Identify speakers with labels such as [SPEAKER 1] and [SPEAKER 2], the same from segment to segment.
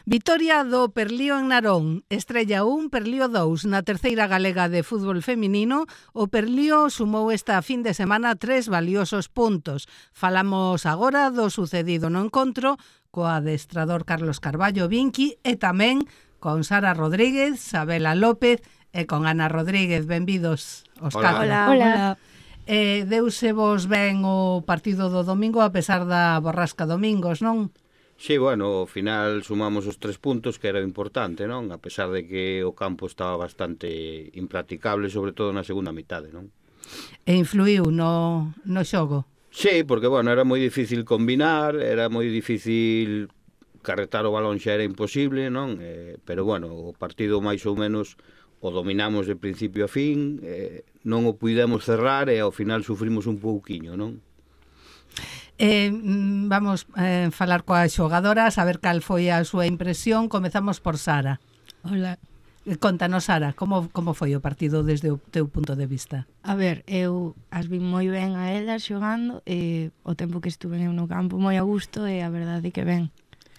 [SPEAKER 1] Vitoria do Perlío en Narón, Estrella 1, Perlío 2. Na terceira galega de fútbol feminino, o Perlío sumou esta fin de semana 3 valiosos puntos. Falamos agora do sucedido no encontro co adestrador Carlos Carballo Vinqui e tamén con Sara Rodríguez, Sabela López e con Ana Rodríguez. Benvidos aos catro.
[SPEAKER 2] Hola.
[SPEAKER 1] Deuse vos ben o partido do domingo a pesar da borrasca domingos, non?
[SPEAKER 3] Sí, bueno, ao final sumamos os 3 puntos, que era importante, non? A pesar de que o campo estaba bastante impracticable, sobre todo na segunda mitade, non?
[SPEAKER 1] E influiu no xogo?
[SPEAKER 3] Sí, porque, bueno, era moi difícil combinar, era moi difícil carretar o balón, xa era imposible, non? Pero, bueno, o partido máis ou menos o dominamos de principio a fin, non o puidemos cerrar e ao final sufrimos un pouquiño, non?
[SPEAKER 1] Vamos falar coas xogadoras, a ver cal foi a súa impresión. Comezamos por Sara.
[SPEAKER 2] Hola.
[SPEAKER 1] Contanos, Sara, como foi o partido desde o teu punto de vista?
[SPEAKER 2] A ver, eu as vi moi ben a elas xogando e o tempo que estuve eu no campo moi a gusto e a verdade que ben.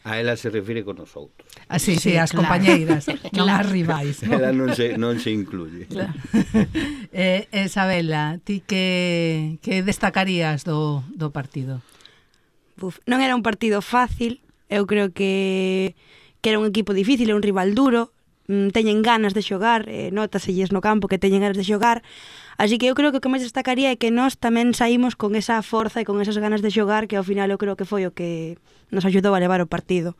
[SPEAKER 3] A ela se refire con os outros.
[SPEAKER 1] Sí, as claro. Compañeiras, non as rivais.
[SPEAKER 3] Ela non se incluye.
[SPEAKER 1] Claro. Isabela, ti que destacarías do partido?
[SPEAKER 4] Non era un partido fácil, eu creo que era un equipo difícil, un rival duro, teñen ganas de xogar, nótaselles no campo que teñen ganas de xogar, así que eu creo que o que máis destacaría é que nós tamén saímos con esa forza e con esas ganas de xogar, que ao final eu creo que foi o que nos axudou a levar o partido.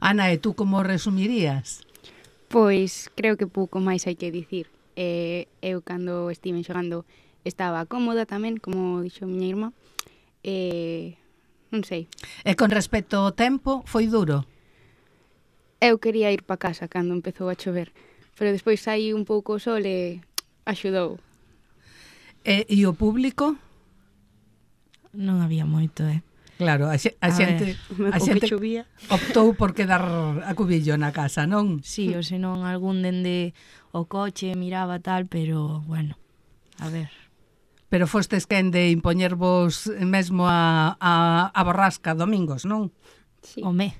[SPEAKER 1] Ana, e tú como resumirías?
[SPEAKER 5] Pois creo que pouco máis hai que dicir. Eu cando estiven xogando estaba cómoda tamén, como dixo a miña irmá, non sei.
[SPEAKER 1] E con respecto ao tempo, foi duro?
[SPEAKER 5] Eu quería ir para casa cando empezou a chover, pero despois saí un pouco o sol e axudou.
[SPEAKER 1] E o público?
[SPEAKER 2] Non había moito,
[SPEAKER 1] Claro, a xente optou por quedar a cubillo na casa, non?
[SPEAKER 2] Sí, ou senón algún dende o coche miraba tal, pero, bueno, a ver.
[SPEAKER 1] Pero fostes quen de impoñervos mesmo a borrasca domingos, non?
[SPEAKER 5] Sí.
[SPEAKER 2] Home.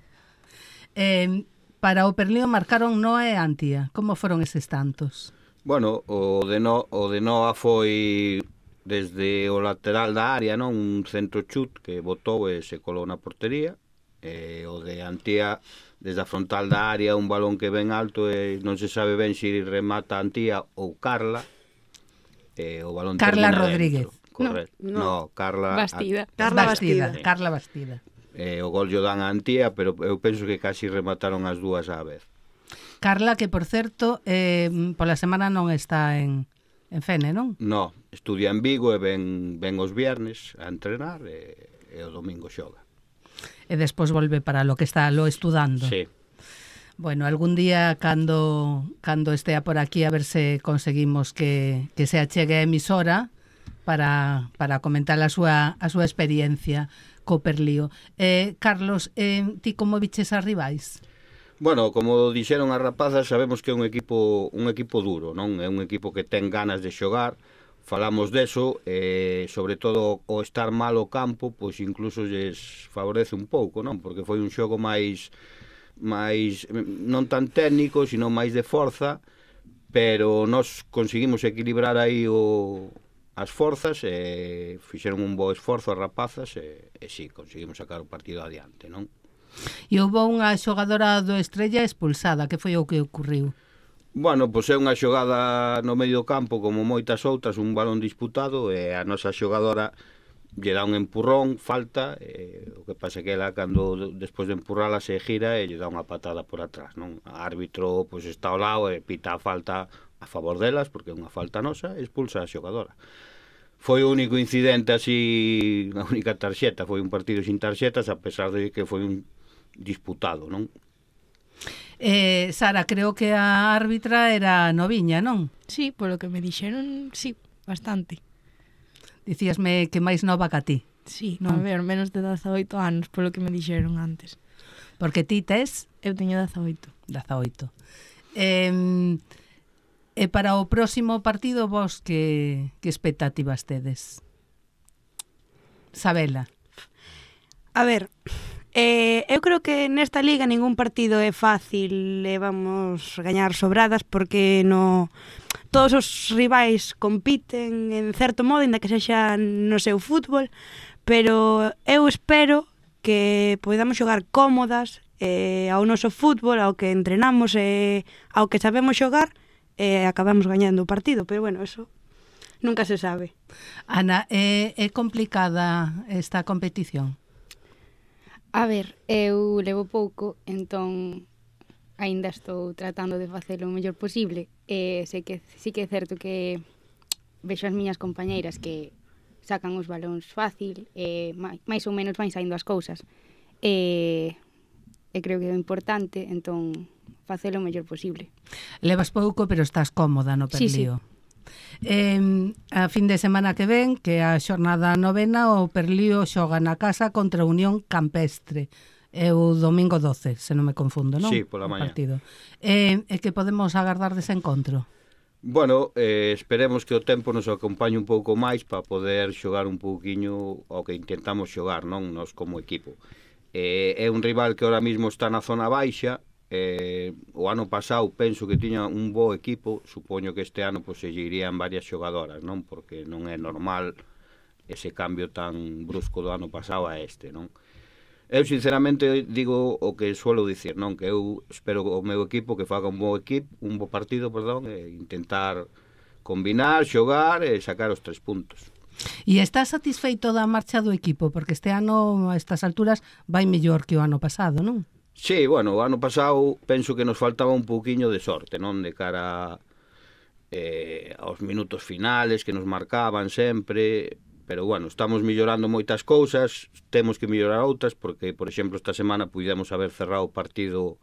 [SPEAKER 1] Para o Perlío marcaron Noa e Antía. Como foron eses tantos?
[SPEAKER 3] Bueno, o de Noa foi desde o lateral da área, non? Un centro chut que botou e se colou na portería. O de Antía, desde a frontal da área, un balón que ven alto e non se sabe ben se remata Antía ou Carla. O balón
[SPEAKER 1] Carla Rodríguez.
[SPEAKER 3] Correcto. No, Carla
[SPEAKER 5] Bastida.
[SPEAKER 1] Carla Bastida.
[SPEAKER 3] O gol lle dan a Antía, pero eu penso que casi remataron as dúas á vez.
[SPEAKER 1] Carla, que por certo, pola semana non está en Fene, non?
[SPEAKER 3] No, estudia en Vigo e ven os viernes a entrenar e o domingo xoga.
[SPEAKER 1] E despois volve para lo que está lo estudando.
[SPEAKER 3] Sí.
[SPEAKER 1] Bueno, algún día cando estea por aquí a ver se conseguimos que se achegue a emisora para comentar a súa experiencia co Perlío. Carlos, ti como viches as rivais?
[SPEAKER 3] Bueno, como dixeron as rapazas, sabemos que é un equipo duro, non? É un equipo que ten ganas de xogar. Falamos deso, sobre todo o estar mal o campo, pois incluso lles favorece un pouco, non? Porque foi un xogo máis non tan técnico, sino máis de forza, pero nós conseguimos equilibrar aí as forzas e fixeron un bo esforzo as rapazas e sí, conseguimos sacar o partido adiante, non?
[SPEAKER 1] E houve unha xogadora do Estrella expulsada, que foi o que ocurriu?
[SPEAKER 3] Bueno, pois é unha xogada no medio campo como moitas outras, un balón disputado e a nosa xogadora lle dá un empurrón, falta, o que pasa que ela cando despois de empurrala se gira e lle dá unha patada por atrás, non? O árbitro pois está ao lado e pita a falta a favor delas, porque é unha falta nosa, e expulsa a xogadora. Foi o único incidente así, a única tarxeta, foi un partido sin tarxetas, a pesar de que foi un disputado, non?
[SPEAKER 1] Sara, creo que a árbitra era noviña, non?
[SPEAKER 2] Sí, polo que me dixeron, sí, bastante.
[SPEAKER 1] Dicíasme que máis nova que a ti.
[SPEAKER 2] Sí, non? A ver, menos de 18 anos, polo que me dixeron antes.
[SPEAKER 1] Porque ti tes?
[SPEAKER 2] Eu teño 18.
[SPEAKER 1] 18. E para o próximo partido vos que expectativas tedes? Sabela.
[SPEAKER 4] A ver, Eu creo que nesta liga ningún partido é fácil e vamos gañar sobradas porque todos os rivais compiten en certo modo, ainda que sexa no seu fútbol, pero eu espero que podamos xogar cómodas ao noso fútbol, ao que entrenamos e ao que sabemos xogar, e acabamos gañando o partido, pero bueno, eso nunca se sabe.
[SPEAKER 1] Ana, é complicada esta competición?
[SPEAKER 5] A ver, eu levo pouco, entón aínda estou tratando de facelo o mellor posible. Sei que sí que é certo que vexo as miñas compañeiras que sacan os balóns fácil, máis ou menos van saindo as cousas. E creo que é importante, entón, facelo o mellor posible.
[SPEAKER 1] Levas pouco, pero estás cómoda no Perlío. Sí. A fin de semana que ven, que a xornada novena, o Perlío xoga na casa contra a Unión Campestre. É o domingo 12, se non me confundo, non?
[SPEAKER 3] Sí, pola mañá.
[SPEAKER 1] E que podemos agardar dese encontro?
[SPEAKER 3] Bueno, esperemos que o tempo nos acompañe un pouco máis para poder xogar un pouquiño ao que intentamos xogar, non? Nos como equipo. É un rival que ahora mismo está na zona baixa. O ano pasado penso que tiña un bo equipo, supoño que este ano se lle irían varias xogadoras, non? Porque non é normal ese cambio tan brusco do ano pasado a este, non? Eu sinceramente digo o que suelo dicir, non? Que eu espero o meu equipo que faga un bo partido, e intentar combinar, xogar e sacar os 3 puntos.
[SPEAKER 1] E estás satisfeito da marcha do equipo? Porque este ano, a estas alturas, vai mellor que o ano pasado, non?
[SPEAKER 3] Sí, bueno, o ano pasado penso que nos faltaba un pouquiño de sorte, non? De cara aos minutos finales que nos marcaban sempre, pero bueno, estamos mellorando moitas cousas, temos que mellorar outras, porque, por exemplo, esta semana pudemos haber cerrado o partido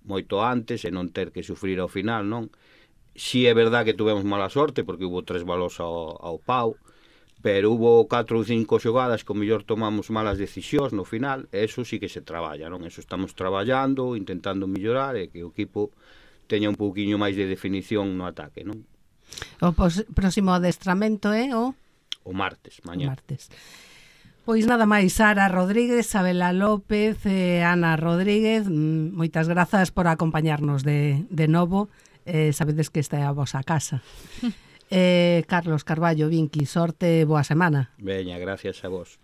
[SPEAKER 3] moito antes e non ter que sufrir ao final, non? Si é verdad que tuvemos mala sorte, porque hubo 3 balos ao pau, pero hubo 4 ou 5 xogadas que o mellor tomamos malas decisións no final, e eso sí que se traballa, non? Eso estamos traballando, intentando mellorar e que o equipo teña un pouquiño máis de definición no ataque, non?
[SPEAKER 1] O próximo adestramento é o
[SPEAKER 3] martes, mañá.
[SPEAKER 1] Pois nada máis, Sara Rodríguez, Sabela López, Ana Rodríguez, moitas grazas por acompañarnos de novo. Sabedes que esta é a vosa casa. Carlos Carballo, Vinqui, sorte, boa semana.
[SPEAKER 3] Veña, gracias a vos.